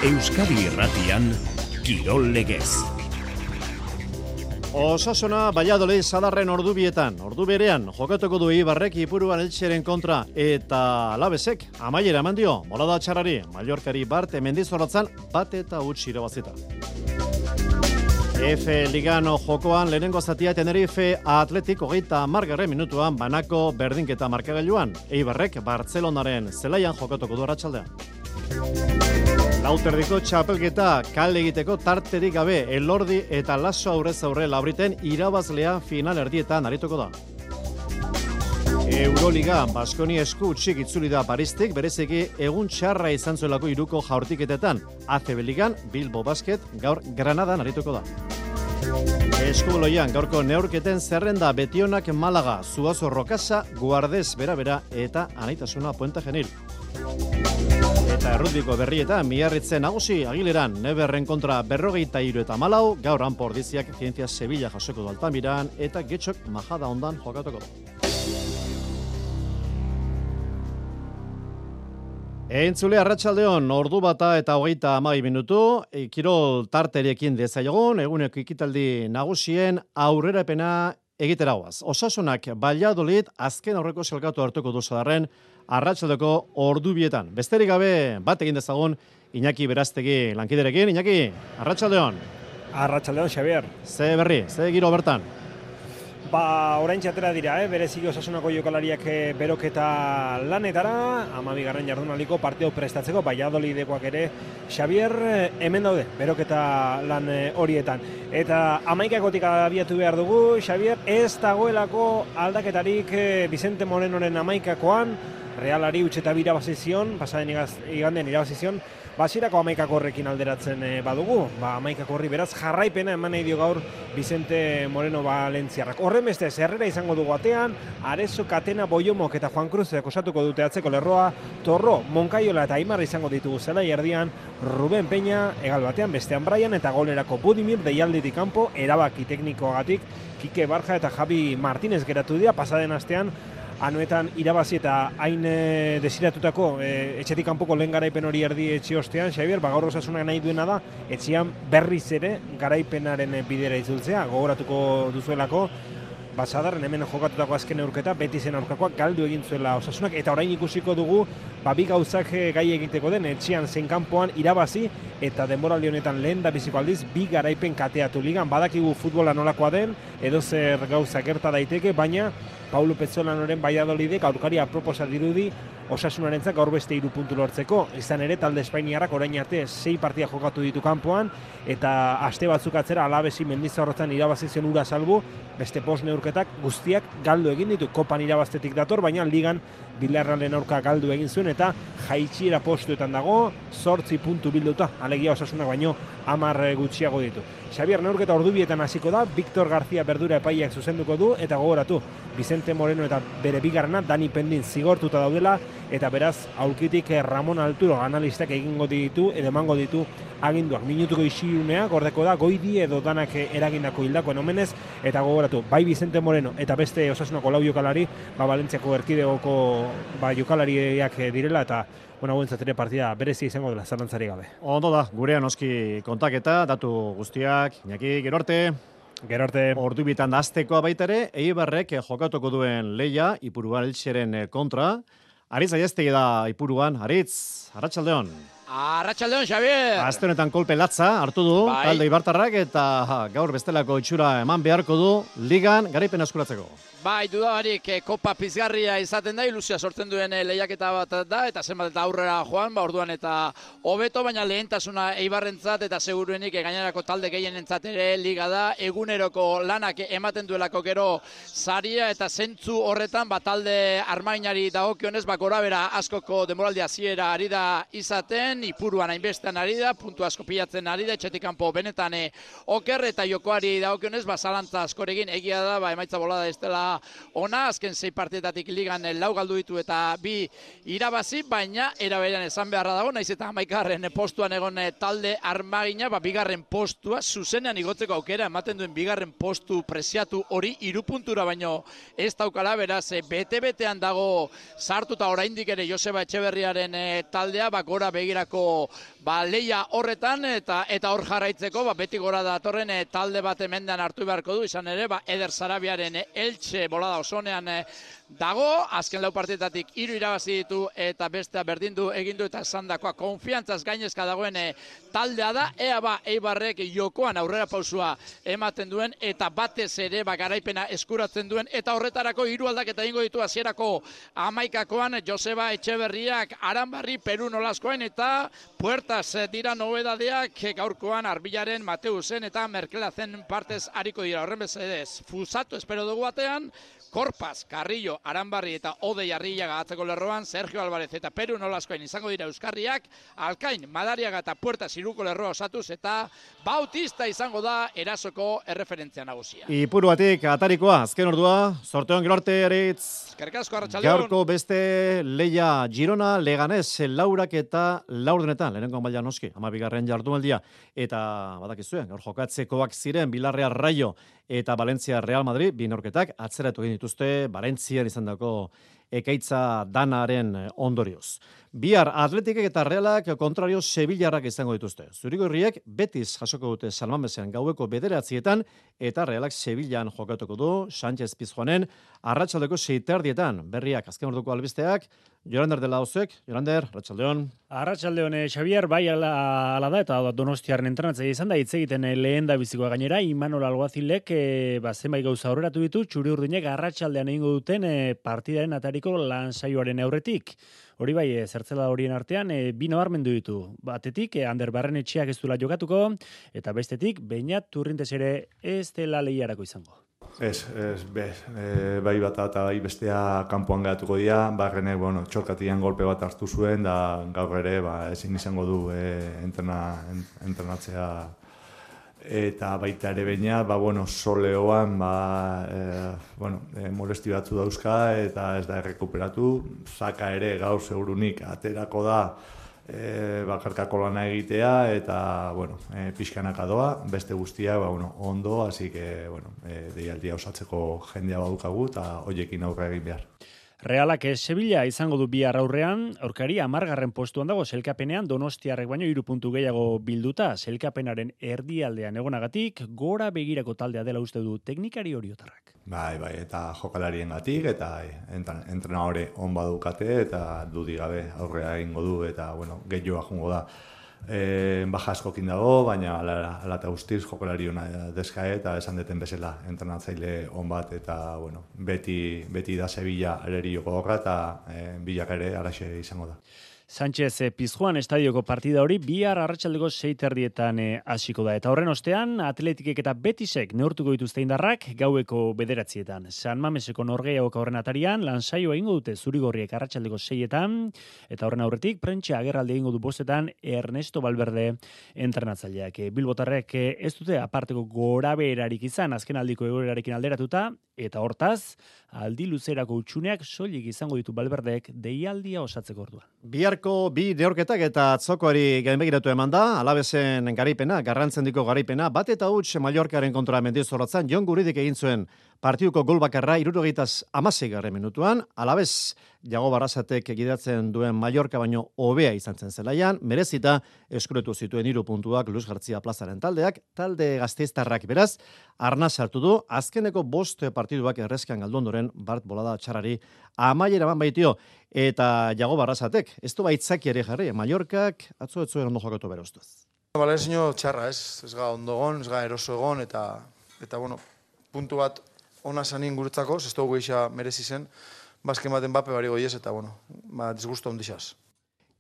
Euskadi Irratian, Kirol Legez. Osasuna Valladolid Sadarren ordubietan, ordu berean, jokatuko du Eibarrek Ipuruan Eltseren kontra eta Alabesek amaiera eman dio, bolada txarrari, Mallorcari Bart Mendizorrotzan bat eta huts irabazita. F Ligano jokoan lehenengo zatia Tenerife Atletik 30. minutuan banako berdinketa markagailuan, Eibarrek Bartzelonaren zelaian jokatuko du arratsaldean. Lauterdiko txapelketa kale egiteko tarterik gabe Elordi eta Laso aurrez aurre Labriten irabazlea final erdietan arituko da. Euroliga Baskoni esku txik itzuli da Paristik, bereziki egun txarra izan zuelako iruko jaurtiketetan. ACB Ligan Bilbo Basket gaur Granadan arituko da. Eskubuloian gaurko neurketen zerrenda Betionak Malaga, Zuazo Rokasa, Guardez Bera eta Anaitasuna Puente Genil. Eta errutbiko berrietan Miarritzen nagusi Agileran Neberren kontra 43 eta 4, gaur Anpo Ordiziak Zientzia Sevilla jasoko du Altamiran eta Getxok Majada ondan jokatuko du. Entzule arratsaldeon, ordu bata eta 30 minutu, kirol tarterekin dezaiogun, eguneko ekitaldi nagusien aurrerapena egiteragoaz. Osasunak Valladolid azken aurreko selkatu hartuko du Sadarren arratsaldeko ordubietan. Besterik gabe bat egin dezagun Iñaki Beraztegi lankiderekin. Iñaki, arratsaldeon. Arratsaldeon, Xavier. Ze berri, ze giro bertan? Oraintxe atera dira, bereziki Osasunako jokalariak beroketa lanetara, 12. jardunaldiko partida prestatzeko, Valladolidekoak ere, Xavier, hemen daude, beroketa lan horietan. Eta 11-kotik abiatu behar dugu, Xavier, ez dagoelako aldaketarik Vicente Morenoren 11-koan, Realari utxeta irabazizion, pasaden igandean irabazizion, basirako 11-ko horrekin alderatzen badugu, 11-ko horri beraz jarraipena eman nahi dio gaur Vicente Moreno Valentziarrak. Horren beste, zerrera izango dugu atean, Arezo, Katena, Boiomok eta Juan Cruz osatuko dute atzeko lerroa, Torro, Monkaiola eta Aimar izango ditugu zelai erdian, Ruben Peña, egal batean, bestean Brian eta golerako Budimir, deialditik kanpo, erabaki teknikoagatik, Kike Barja eta Javi Martínez geratu dira, pasaden astean, anuetan irabazi eta hain desiratutako etxetik kanpoko lehen garaipen hori erdi etxe ostean, Xavier, gaur Osasunak nahi duena da, etxean berriz ere garaipenaren bidera itzultzea, gogoratuko duzuelako, Sadarren hemen jokatutako azken neurketa, Betizen aurkakoak galdu egin zuela Osasunak, eta orain ikusiko dugu, bi gauzak gai egiteko den, etxean zein kanpoan irabazi, eta denboraldi honetan lehen da biziko aldiz, 2 garaipen kateatu ligan, badakigu futbola nolakoa den, edo zer gauza gerta daiteke, baina Paulo Petzolanoren Valladolidek aurkari aproposa dirudi Osasunarentzat gaur beste 3 puntu lortzeko. Izan ere, talde espainiarrak orain arte 6 partida jokatu ditu kanpoan, eta aste batzuk atzera Alabesi Mendizorrotzan irabazizion ura salbu, beste post neurketak guztiak galdu egin ditu. Kopan irabaztetik dator, baina ligan Villarrealen aurka galdu egin zuen, eta jaitsiera postuetan dago, 8 puntu bilduta, alegia Osasunak baino 10 gutxiago ditu. Xavier, neurketa ordubietan hasiko da, Victor García Berdura epaileak zuzenduko du, eta gogoratu, Vicente Moreno eta bere bigarrena Dani Pendin zigortuta daudela, eta beraz, aulkitik Ramon Alturo analistak egingo ditu, edo emango ditu aginduak. Minutuko isilunea, gordeko da, Goidi edo danak eragindako hildakoen omenez, eta gogoratu, bai Vicente Moreno eta beste Osasunako 4 jokalari, Valentziako erkidegoko jokalariak direla, eta guentzat ere partida berezi izango dela, zalantzari gabe. Ondo da, gurean oski kontaketa, datu guztiak, Iñaki, gero arte. Ordubietan aztekoa baita ere, Eibarrek jokatuko duen leia, Ipuruan Eltseren kontra. Aritz Aiestegi da Ipuruan. Aritz, arratsaldeon. Arratsaldeon, Xavier. Aste honetan kolpe latza hartu du, talde Ibartarrak, eta gaur bestelako itxura eman beharko du ligan garaipen eskuratzeko. Bai, dudabarik kopa pizgarria izaten da, ilusia sortzen duen lehiaketa bat da, eta zenbat eta aurrera joan, orduan eta hobeto, baina lehentasuna Eibarrentzat eta seguruenik gainerako talde gehienentzat ere liga da, eguneroko lanak ematen duelako gero saria eta zentzu horretan, talde armainari dagokionez, gorabera askoko denboraldi hasiera ari da izaten, Ipuruan hainbestean ari da, puntu asko pilatzen ari da, etxetik kanpo benetan oker eta jokoari dagokionez, zalantza askorekin egia da, emaitza bolada ez dela ona, azken 6 partidetatik ligan 4 galdu ditu eta 2 irabazi, baina eraberean esan beharra dago, naiz eta 11. postuan egon talde armagina, 2. postua zuzenean igotzeko aukera ematen duen 2. postu preziatu hori 3 puntura baino ez daukala, beraz bete-betean dago sartuta oraindik ere Joseba Etxeberriaren taldea, gora begira hasierako leia horretan eta hor jarraitzeko beti gora datorren talde bat hemendean hartu beharko du, izan ere Eder Sarabiaren Elche bolada osonean dago, azken lau partitatik 3 irabazi ditu eta bestea berdindu egin du eta esandakoa konfiantzaz gainezka dagoen taldea da, ea Eibarrek jokoan aurrera pausua ematen duen eta batez ere garaipena eskuratzen duen eta horretarako 3 aldaketa egingo ditu hasierako 11koan Joseba Etxeberriak Aranbarri Peru Nolaskoen eta Puertas dira nobedadeak gaurkoan Arbilaren Mateusen eta Merkelazen partez ariko dira. Horren bezedez, Fusato espero dugu batean, Korpaz, Carrillo, Aranbarri eta Odei Arrillaga atzeko lerroan, Sergio Alvarez eta Peru Nolaskoen izango dira Euskarriak, Alkain, Madariaga eta Puertas iruko lerroa osatuz eta Bautista izango da erasoko erreferentzia nagusia. Ipuruatik atarikoa, azken ordua, sorteon gero arte eritz. Eskerrik asko, Arratsaldeon. Gaurko beste leia Girona, Leganés, laurak eta laurdenetan, lehenengo maila noski, 12. jardunaldia, eta badakizuen, gaur jokatzekoak ziren Villarreal Rayo eta Valencia Real Madrid, bi neurketak atzeratu egin dituzte Valentzian izandako ekaitza danaren ondorioz. Bihar Atletikek eta Realak kontrario Sevillarrak izango dituzte. Zurigorriek Betis jasoko dute San Mamesean gaueko 9:00 eta Realak Sevillan jokatuko du Sánchez Pizjuanen arratsaldeko 6:30. Berriak azken orduko albisteak Jorander de la Osek, Jorander, Arratsaldeon. Arratsaldeon, Xavier, bai ala da eta Donostiaren entrenatzaile izan da hitz egiten lehen da bizikoa gainera Imanol Alguazilek zenbait gauza aurreratu ditu Txuri-Urdinek arratsaldean egingo duten partidaren atariko lan saioaren aurretik. Hori bai, zertzela horien artean, bi nabarmendu ditu. Batetik, Ander Barrenetxeak ez duela jokatuko, eta bestetik, Beñat Turrintes ere ez dela lehiarako izango. Bai bata eta bai bestea kanpoan gehatuko dira, Barrenek, txorkatian golpe bat hartu zuen, da gaur ere, ezin izango du entrenatzea eta baita ere Beñat, soleoan, molesti batzu dauzka eta ez da errekuperatu, Zaka ere gaur segurunik aterako da, bakarkako lana egitea eta pixkanaka doa, beste guztia ondo, así que deialdia osatzeko jendea badukagu eta hoiekin aurre egin behar. Realak Sevilla izango du bihar aurrean, aurkari 10. postuan dago selkapenean Donostiarrek baino 3 puntu gehiago bilduta, selkapenaren erdialdean egonagatik, gora begirako taldea dela uste du teknikari oriotarrak. Bai, eta jokalariengatik eta entrenadore on badukate eta dudik gabe aurrea egingo du eta gehiagoa jungo da. Baja askokin dago, baina ala eta guztiz jokalari ona deska eta esan deten bezala entrenatzaile on bat eta beti da Sevilla ereri joko horra eta bilak ere alaxe izango da. Sánchez Pizjuan estadioko partida hori bihar arratsaldeko 6:30 hasiko da. Eta horren ostean, Atletikek eta Betisek neurtuko dituzte indarrak gaueko 9:00. San Mameseko Norgehiagoka horren atarian, lansaioa egingo dute Zurigorriek arratsaldeko 6:00 eta horren aurretik prentsa agerraldi egingo du 5:00 Ernesto Valverde entrenatzaileak. Bilbotarrek ez dute aparteko gorabeherarik izan azken aldiko egoerarekin alderatuta eta hortaz, aldi luzerako utxuneak soilik izango ditu Valverdek deialdia osatzeko orduan. Biharko bi neurketak eta atzokoari gainbegiratu eman da, Alavesen garaipena, garrantzendiko garaipena, bat eta huts Mallorcaren kontra Mendizorrotzan, Jon Guridik egin zuen partiduko gol bakarra 76. minutuan, Alaves Jago Barrasatek gidatzen duen Mallorca baino hobea izan zen zelaian, merezita eskuretu zituen 3 puntuak Luis García plazaren taldeak, talde gasteiztarrak beraz, arna sartu du, azkeneko 5 partiduak errezkan galdu ondoren Bart bolada txarrari amaiera eman baitio, eta Jago Barrasatek, ez du baitzaki ere jarri, Mallorcak atzo ez zuen ondo jokatu bere ustez. Balezino txarra, ez ga ondogon, ez ga eroso egon, eta puntu bat ona zanin guretzako, ez dugu eixa merezi zen, bazken baten bape bari goiez, eta disgusto ondixaz.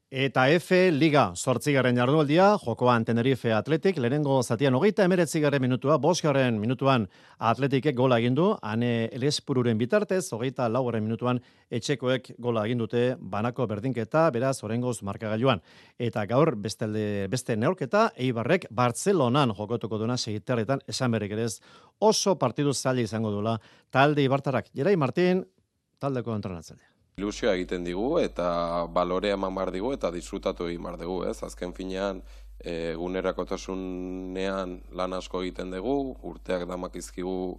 Eta F Liga 8. jardunaldia, jokoan Tenerife Athletic, lehenengo zatian 39. minutua, 5. minutuan Athleticek gola egin du, Ane Elespururen bitartez, 24. minutuan etxekoek gola egin dute banako berdinketa, beraz oraingoz markagailuan. Eta gaur beste neurketa Eibarrek Bartzelonan jokatuko duena 6:00 esan berrik ere ez, oso partidu zaila izango duela talde eibartarrak. Gerai Martin, taldeko entrenatzailea. Ilusioa egiten digu eta balorea eman behar digu eta disfrutatu egin behar dugu, ez? Azken finean, egunerakotasunean lan asko egiten dugu, urteak damakizkigu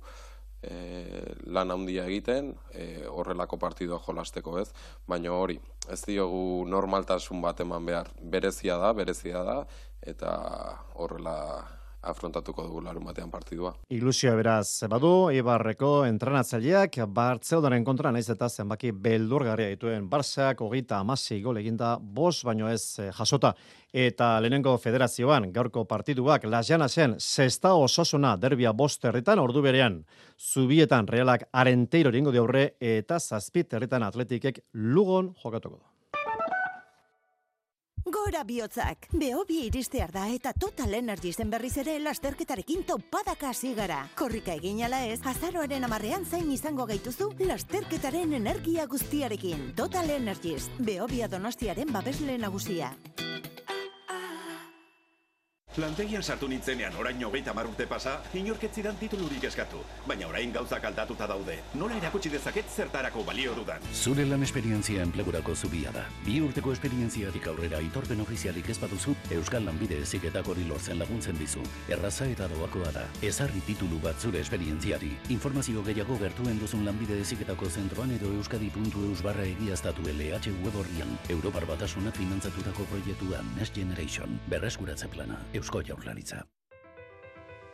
lan handia egiten, horrelako partidua jolasteko ez, baina hori, ez diogu normaltasun bat eman behar, berezia da, eta horrela afrontatuko dugu larunbatean partidua. Ilusioa beraz badu, Eibarreko entrenatzaileak Bartzeldaren kontra naiz eta zenbaki beldurgarria dituen Barsak 36 gol eginda 5 baino ez jasota. Eta lehenengo federazioan gaurko partiduak Las Llanasen Sestao Osasuna derbia 5 herritan ordu berean. Zubietan Realak Arenteiro egingo die aurre eta 7 herritan Atletikek Lugon jokatuko du. Gora bihotzak, Behobia iristear da eta Total Energiesen berriz ere lasterketarekin topadaka hasi gara. Korrika egin ala ez, azaroaren 10ean zain izango gaituzu lasterketaren energia guztiarekin. Total Energies, Behobia Donostiaren babesle nagusia. Lantegian sartu nintzenean orain 30 urte pasa, inorketzidan titulurik eskatu. Baina orain gauzak aldatuta daude. Nola erakutsi dezaket zertarako balio dudan? Zure lan esperientzia enplegurako zubia da. 2 urteko esperientziatik aurrera aitorpen ofizialik ez baduzu, Euskal Lanbide Heziketak hori lortzen laguntzen dizu. Erraza eta doakoa da. Ezarri titulu bat zure esperientziari. Informazio gehiago gertuen duzun Lanbide Heziketako zentroan edo euskadi.eus/egiaztatu LH web orrian. Europar Batasunak finantzatutako proiektua Next Generation. Berreskuratze plana. Eusko Jaurlaritza.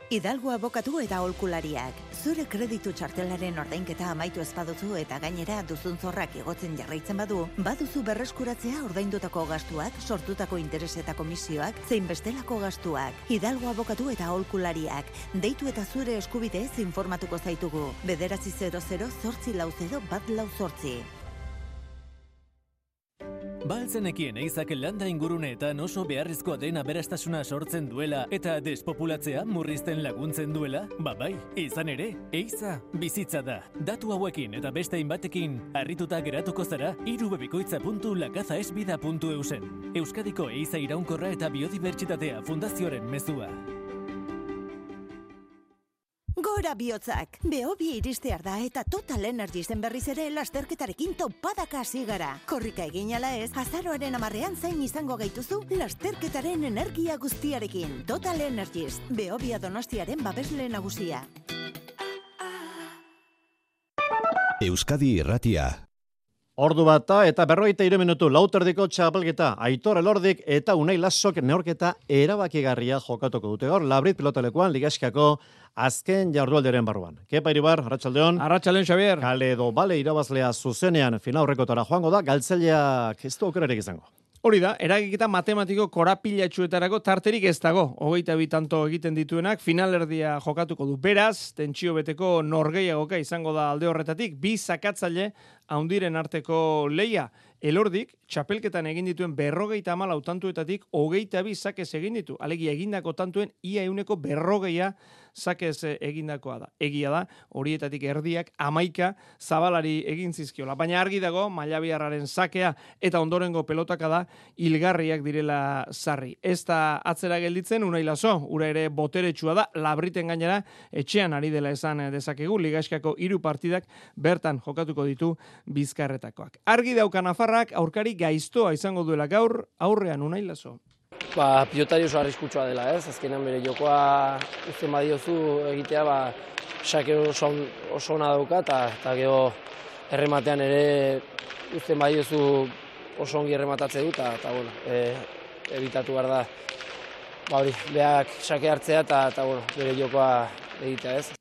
Hidalgo abokatu eta aholkulariak. Zure kreditu txartelaren ordainketa amaitu ez baduzu eta gainera duzun zorrak igotzen jarraitzen baduzu berreskuratzea ordaindutako gastuak, sortutako interes eta komisioak, zein bestelako gastuak. Hidalgo abokatu eta aholkulariak. Deitu eta zure eskubideez informatuko zaitugu. 900-840-148. Baltzenekien eizak landa inguruneetan oso beharrizkoa den aberastasuna sortzen duela eta despopulatzea murrizten laguntzen duela? Bai, izan ere, eiza bizitza da. Datu hauekin eta beste hainbatekin harrituta geratuko zara irubebikoitza.lakazaesbida.eusen. Euskadiko eiza iraunkorra eta biodibertsitatea fundazioaren mezua. Gora bihotzak, Behobia iristear da eta Total Energiesen berriz ere lasterketarekin topadaka hasi gara. Korrika egin ala ez, azaroaren 10ean zain izango gaituzu lasterketaren energia guztiarekin. Total Energies, Behobia Donostiaren babesle nagusia. Euskadi Irratia. Ordu bata eta 43 minutu lauterdiko txapelketa Aitor Elordik eta Unai Lasok neorketa erabakigarria jokatuko dute gaur Labrit pilotalekuan ligaskako azken jardunaldiaren barruan. Kepa Iribar, arratsaldeon. Arratsaldeon Xabier. Kale edo bale irabazlea zuzenean finaurrekotara joango da, galtzaileak ez du aukerarik izango. Hori da, eragiketa matematiko korapilatxuetarako tarterik ez dago. 22 tanto egiten dituenak finalerdia jokatuko du. Beraz, tentsio beteko norgehiagoka izango da alde horretatik, 2 sakatzaile haundiren arteko leia. Elordik, txapelketan egin dituen 54 tantuetatik 22 sakez egin ditu. Alegia egindako tantuen ia 140 sakez egindakoa da. Egia da, horietatik erdiak 11 zabalari egin zizkiola. Baina argi dago, Mailabiarraren sakea eta ondorengo pelotaka da hilgarriak direla sarri. Ez da atzera gelditzen, Unai Laso, ura ere boteretsua da, Labriten gainera etxean ari dela esan dezakegu, ligaskako 3 partidak bertan jokatuko ditu bizkarretakoak. Argi dauka Nafarrak aurkari gaiztoa izango duela gaur, aurrean Unai Laso. Pilotari oso arriskutsua dela, ez? Azkenan bere jokoa uzten badiozu egitea, sake oso ona dauka, eta gero errematean ere uzten badiozu oso ongi errematatze du, eta bueno, ebitatu behar da, beak sake hartzea, eta bere jokoa egitea, ez?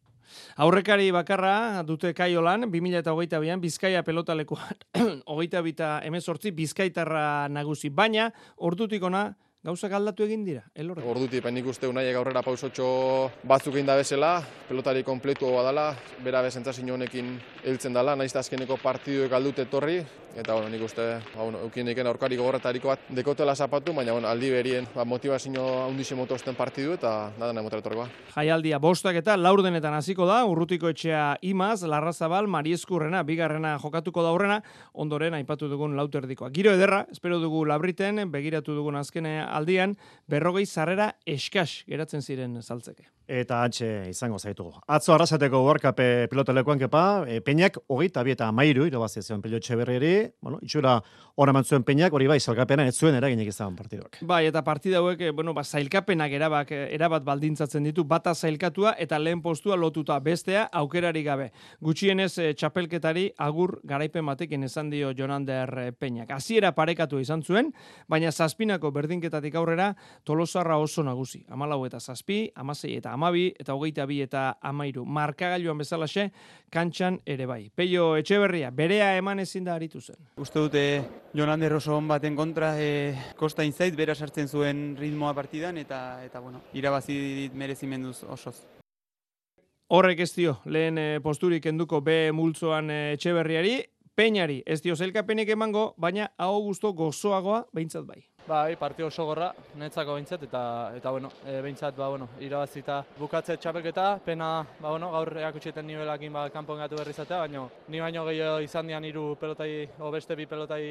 Aurrekari bakarra dute Kaiolan, 2022an Bizkaia pelotalekuan 22-18 Bizkaitarra nagusi, baina ordutik ona gauzak aldatu egin dira, Elordi. Ordutik, nik uste Unaiek aurrera pausotxo batzuk egin da bezala, pelotari kompletu badala, bera bezentzazin honekin heltzen dela, nahiz azkeneko partiduek aldute etorri, eta nik uste eukien diken aurkari gogorretariko bat dekotela zapatu, baina aldi berien motivazio handixe motozten partidu eta nada nahi motoretorkoa. Jaialdia 5 eta 4 denetan hasiko da, Urrutiko etxea Imaz, Larrazabal, Marieskurrena, bigarrena jokatuko da aurrena, ondoren aipatu dugun lauterdikoa. Giro ederra, espero dugu Labriten, begiratu dugun azken aldian, 40 sarrera eskas geratzen ziren saltzeke. Eta antxe izango zaitu. Atzo arrasateko World Cup pilotalekuan kepa, Peñak 22-13 irabazi zion Pello Etxeberriari, bueno, itxura hor eman zuen Peñak, hori bai, sailkapena ez zuen eraginik izan partiduak. Bai, eta partida hauek, sailkapenak erabat baldintzatzen ditu, bata sailkatua eta lehen postua lotuta, bestea aukerari gabe. Gutxienez txapelketari agur garaipen batekin esan dio Jonander Peñak. Hasiera parekatu izan zuen, baina zazpinako berdinketatik aurrera Tolosarra oso nagusi. 14 eta 7, 16 eta 12 eta 22 eta 13. Markagailuan bezalaxe, kantxan ere bai. Pello Etxeberria, berea eman ezin da aritu zen. Uste dute Jonander oso on baten kontra, kosta inzait, bera sartzen zuen ritmoa partidan, eta bueno, irabazi dit merezimenduz osoz. Horrek ez dio, lehen posturik enduko B multzoan Etxeberriari, Peñari ez dio zelkapenik emango, baina hau gusto gozoagoa behintzat bai. Bai, partio oso gorra, netzako behintzat, eta bueno, behintzat, irabazita bukatze txapelketa, pena, gaur eakutxeten nivelakin kanpon gatu berrizatea, baina ni baino gehiago izan dian 3 pelotai, beste 2 pelotai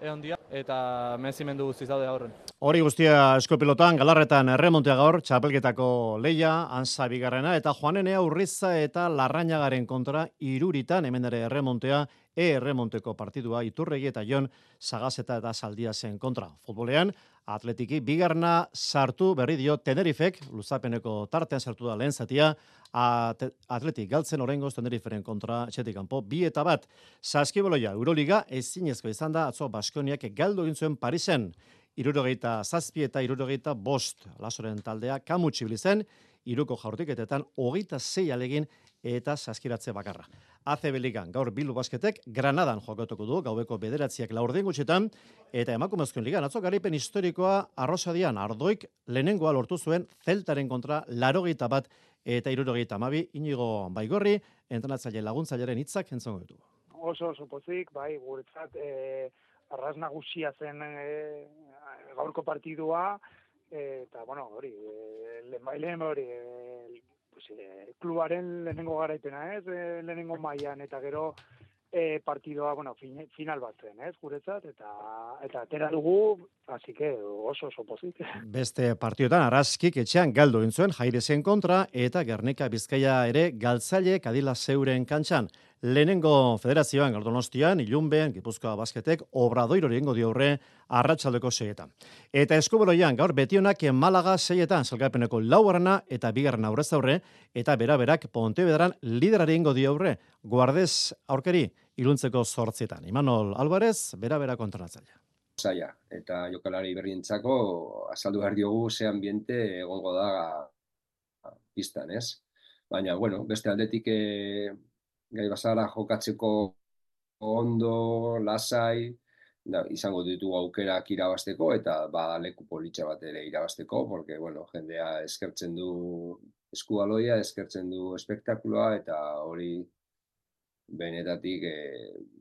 egon dia, eta mezimendu guztiz daude aurren. Hori guztia eskopilotan, Galarretan erremontea gaur, txapelketako leia, Ansa bigarrena, eta Joanenea Urriza eta Larrañagaren kontra Iruritan, hemen ere erremontea, erremonteko partidua Iturregi eta Jon Sagazeta eta Saldiasen kontra. Futbolean, Atletiki bigarna sartu berri dio Tenerifek, luzapeneko tartean sartu da lehen zatia, Atletik galtzen oraingoz Teneriferen kontra etxetik kanpo 2-1. Saskiboloia, Euroliga ezinezko izan da atzo Baskoniak galdu egin zuen Parisen. 77 eta 75 Lasoren taldea kamutsi bilizen, iruko jaurtiketetan 26 alegin eta saskiratze bakarra. ACB Ligan gaur Bildu Basketek Granadan jokatuko du gaueko 9:00 laurden gutxitan, eta emakumezkoen ligan atzo garaipen historikoa Arrosadian Ardoik lehenengoa lortu zuen Zeltaren kontra 81 eta 72. Inigo Baigorri, entrenatzaile laguntzailearen hitzak entzongo ditugu. Oso pozik, bai, guretzat arras nagusia zen gaurko partidua, eta bueno, hori, lehenbailen hori, klubaren lehenengo garaipena, lehenengo mailan, eta gero partidoa, final bat zen, guretzat, eta atera dugu, así que oso pozik. Beste partiotan Arraskik etxean galdu egin zuen Jairezen kontra, eta Gernika Bizkaia ere galtzaile Kadila Zeuren kantxan. Lehenengo federazioan Donostian, Ilunben, Gipuzkoa Basketek, Obradoirori egingo dio aurre arratsaldeko 6etan. Eta Eskubaloian gaur Betionak Malaga 6etan salgapeneko 4. eta 2. aurrez aurre, eta beraberak Pontevedran liderari egingo dio aurre, Guardez aurkari Iluntzeko 8etan. Imanol Alvarez, bera kontratzailea. Zaila, eta jokalari berrientzako azaldu behar diogu ze ambiente egongo da pistan, ez? Baina, beste aldetik gai bazara jokatzeko ondo, lasai, izango ditugu aukerak irabasteko, eta leku politxa bat ere irabasteko, porque, jendea eskertzen du eskubaloia, eskertzen du espektakuloa, eta hori benetatik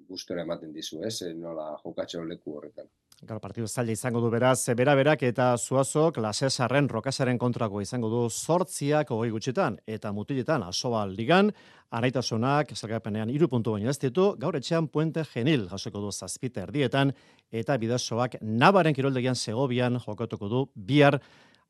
gustora ematen dizu, nola jokatzeo leku horretan. Gaur partidu zaila izango du beraz, beraberak eta Zuazok Lasesarren Rokasaren kontrako izango du 8 gutxitan, eta mutiletan Asobal Ligan, Araitasunak salgapenean 3 puntu baino ez ditu, gaur etxean Puente Genil jasoko du 7:30, eta Bidasoak Nabaren kiroldegian Segobian jokatuko du bihar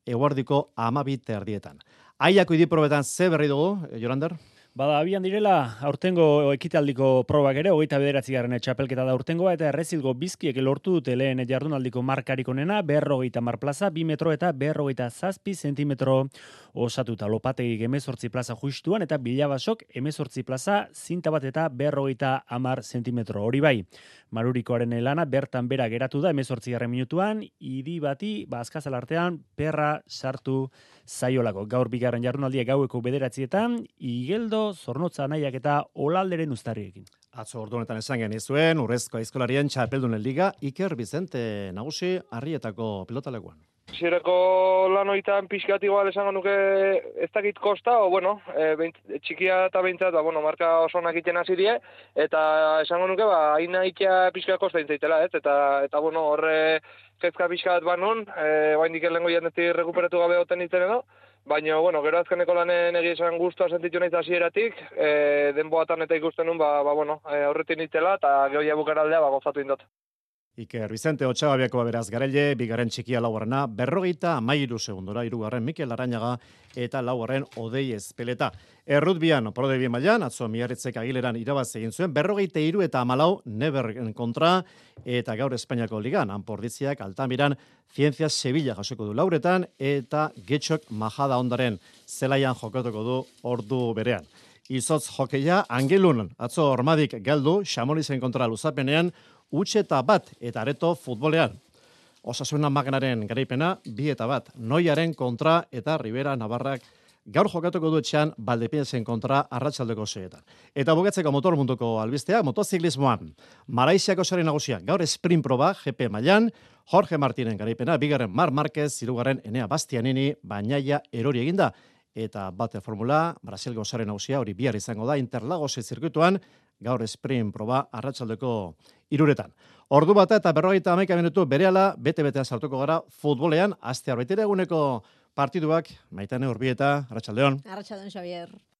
eguardiko 12:30. Aiako idiprobetan ze berri dugu, Jorander? Bada, abian direla, aurtengo ekitaldiko probak ere, 29. txapelketa da aurtengoa, eta Errezilgo Bizkiek lortu dute lehen jardunaldiko markarik onena, 50 plaza, 2 metro eta 57 zentimetro osatuta. Lopategik 18 plaza justuan, eta Bilabasok 18 plaza, zinta bat eta 50 zentimetro. Hori bai, Marurikoaren lana bertan bera geratu da 18. minutuan, idi bati, azkazal artean, perra sartu zaiolako. Gaur bigarren jardunaldia gaueko 9:00, Igeldo, Zornotza nahiak eta Olalderen uztarriekin. Atzo ordu honetan esan genizuen, Urrezko Aizkolarien txapeldunen liga, Iker Bizente nagusi Arrietako pilotalekuan. Zireko lanoitan pixkat igual esango nuke ez dakit kosta, txikia eta behintzat, marka oso onak iten hasi die, eta esango nuke, hain nahikia pixkat kosta intzaitela, eta horre kezka pixkat banon, baindik elengo jandetik rekuperatu gabe hoten itzen edo, baina, gero azkeneko lanen egia esan guztua sentitu nahiz hasieratik, denboatan eta ikusten nun, aurretin itzela, eta gehoia bukaraldea gozatu indot. Iker Vicente Otxababiako beraz Garaile, bigarren txikia laugarrena, 53 segundora, hirugarren Mikel Arañaga eta laugarren Odei Ezpeleta. Errutbian, Prodebi mailan, atzo Miarritzek Agileran irabaz egin zuen, 43 eta 14 Neberren kontra, eta gaur Espainiako ligan, Anpordiziak Altamiran, Ciencias Sevilla jasoko du lauretan, eta Getxok Majada Ondaren zelaian jokatuko du ordu berean. Izotz jokeia, Angelun, atzo Ormadik galdu, Xamolizen kontra luzapenean, utxeta bat eta areto futbolean. Osasuna Magnaren garaipena, 2-1, Noiaren kontra eta Rivera Navarrak gaur jokatuko du etxean Valdepeñasen kontra arratsaldeko 6etan. Eta bukatzeko motor munduko albistea, motoziklismoan. Malaisiako sari nagusia, gaur sprint proba, GP mailan, Jorge Martinen garaipena, bigarren Marc Márquez, hirugarren Enea Bastianini, Bañaia erori eginda. Eta bate formula, Brasilgo sari nagusia, hori bihar izango da, Interlagose zirkuituan, gaur sprint proba arratsaldeko 3etan. Ordu bata eta 51 minutu berehala bete-betean sartuko gara futbolean, aste arbitera eguneko partiduak, Maitane Urbieta, arratsaldeon. Arratsaldeon, Xavier.